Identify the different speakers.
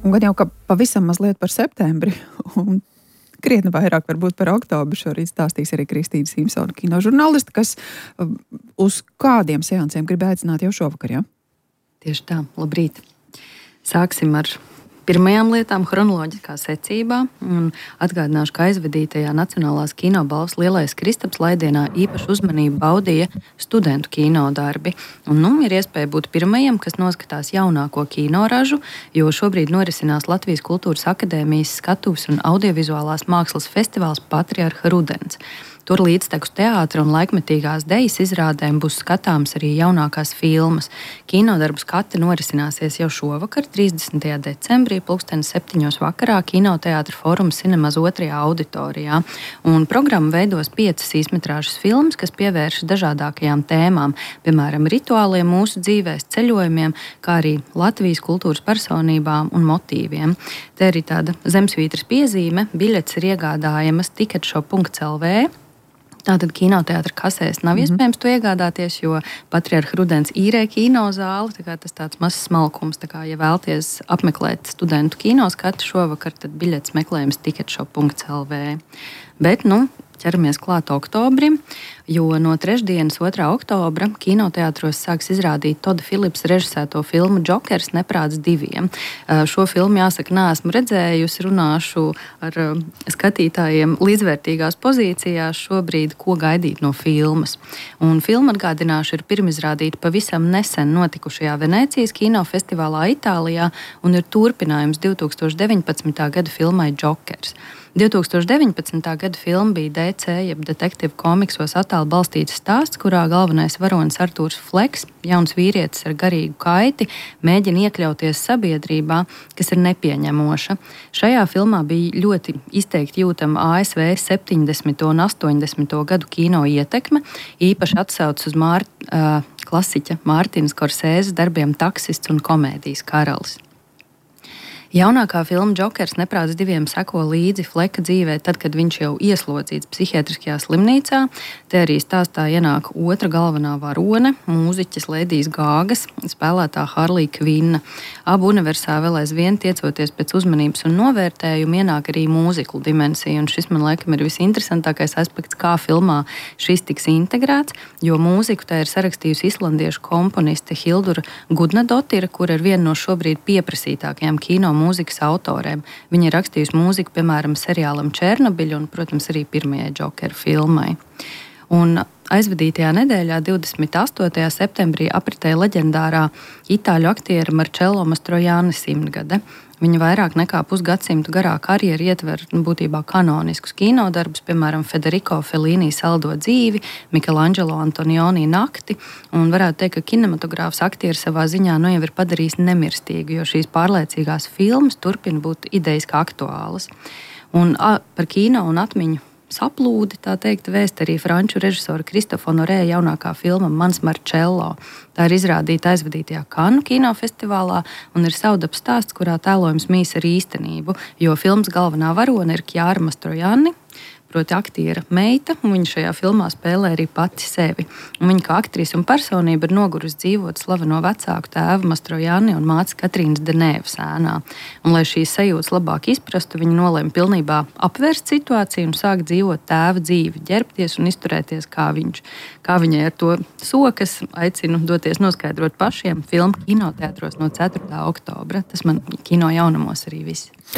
Speaker 1: Un gan jau, ka pavisam mazliet par septembri un krietni vairāk varbūt par oktobru šorīt stāstīs arī Kristīna Simpsona, kinožurnāliste, kas uz kādiem seansiem grib aicināt jau šovakar, ja?
Speaker 2: Tieši tā, labrīt. Sāksim ar pirmajām lietām chronoloģiskā secībā. Atgādināšu, ka aizvadītajā Nacionālās kinobalvas Lielais Kristaps laidienā īpašu uzmanību baudīja studentu kinodarbi. Ir iespēja būt pirmajiem, kas noskatās jaunāko kinoražu, jo šobrīd norisinās Latvijas Kultūras akadēmijas skatuves un audiovizuālās mākslas festivāls Patriarha Rudens. Tur līdztekus teātra un laikmetīgās dejas izrādēm būs skatāms arī jaunākās filmas. Kinodarbu skati norisināsies jau šovakar, 30. decembrī, 7:00 vakarā, Kinoteātra Fóruma Cinemas 2. auditorijā. Un programmu veidos 5 īsmetrāžas filmas, kas pievēršas dažādākajām tēmām, piemēram, rituāliem mūsu dzīvēs, ceļojumiem, kā arī Latvijas kultūras personībām un motīviem. Te arī tāda zemsvītras piezīme, biļetes ir iegādājamas ticketshop.lv. Tātad kinoteātra kasēs nav iespējams to iegādāties, jo Patriarha Rudens īrē kinozāli. Tas tāds mazs smalkums. Ja vēlties apmeklēt studentu kinoskatu šovakar, tad biļetes meklējums ticketshop.lv. Bet, ķeramies klāt oktobrim, jo no trešdienas 2. oktobra kinoteātros sāks izrādīt Toda Philipsa režisēto filmu Džokers neprāts 2. Šo filmu, jāsaka, neesmu redzējusi, runāšu ar skatītājiem līdzvērtīgās pozīcijās šobrīd, ko gaidīt no filmas. Un filma, atgādināšu, ir pirmizrādīta pavisam nesen notikušajā Venēcijas kinofestivālā Itālijā un ir turpinājums 2019. gada filmai Džokers. 2019. gada filma bija DC, jeb detektīvu komiksos attēlu balstīts stāsts, kurā galvenais varonis Artūrs Fleks, jauns vīrietis ar garīgu kaiti, mēģina iekļauties sabiedrībā, kas ir nepieņemoša. Šajā filmā bija ļoti izteikti jūtama ASV 70. un 80. gadu kino ietekme, īpaši atsaucas uz klasiķa Mārtiņa Skorsēzes darbiem Taksists un Komēdijas karalis. Jaunākā filma Džokers neprāts 2 seko līdzi Fleka dzīvē, tad, kad viņš jau ieslodzīts psihiatriskajā slimnīcā. Te arī stāstā ienāk otra galvenā varone, mūziķis Ledijas Gāgas, spēlētā Harlija Kvinna. Abu universā vēl aizvien tiecoties pēc uzmanības un novērtējuma ienāk arī mūziklu dimensija, un šis man laikam ir visinteresantākais aspekts, kā filmā šis tiks integrēts, jo mūziku tā ir sarakstījusi islandiešu komponiste Hildura Gudnadotira, kur ir viena no šobrīd pieprasītākajām kino mūzikas autoriem. Viņa ir rakstījusi mūziku, piemēram, seriālam Černobiļa un, protams, arī pirmajai Džokera filmai. Un aizvadītajā nedēļā, 28. septembrī, apritēja leģendārā itāļu aktiera Marcello Mastroianni 100 gade. Viņa vairāk nekā pusgadsimtu garā karjeru ietver būtībā kanoniskus kinodarbus, piemēram, Federico Fellini Saldo dzīvi, Michelangelo Antonioni nakti, un varētu teikt, ka kinematogrāfs aktieri savā ziņā jau ir padarījis nemirstīgu, jo šīs pārliecīgās filmas turpina būt idejiski aktuālas. Un par kino un atmiņu saplūdi, tā teikt, vēst arī franču režisora Kristofa Honorē jaunākā filma Mans Marcello. Tā ir izrādīta aizvadītajā Kannu kinofestivālā un ir savdabas stāsts, kurā tēlojums mīs ar īstenību, jo filmas galvenā varone ir Kjāra Mastroianni, proti aktiera meita, un viņa šajā filmā spēlē arī pati sevi. Un viņa kā aktrise un personība ir nogurusi dzīvot slaveno vecāku tēvu Mastroianni un mātes Katrīnas Denēvas ēnā. Un, lai šīs sajūtas labāk izprastu, viņa nolēma pilnībā apvērst situāciju un sākt dzīvot tēva dzīvi, ģērbties un izturēties kā viņš. Kā viņai ar to sokas, aicinu doties noskaidrot pašiem filmu kinoteātros no 4. oktobra. Tas man kino jaunumos arī viss.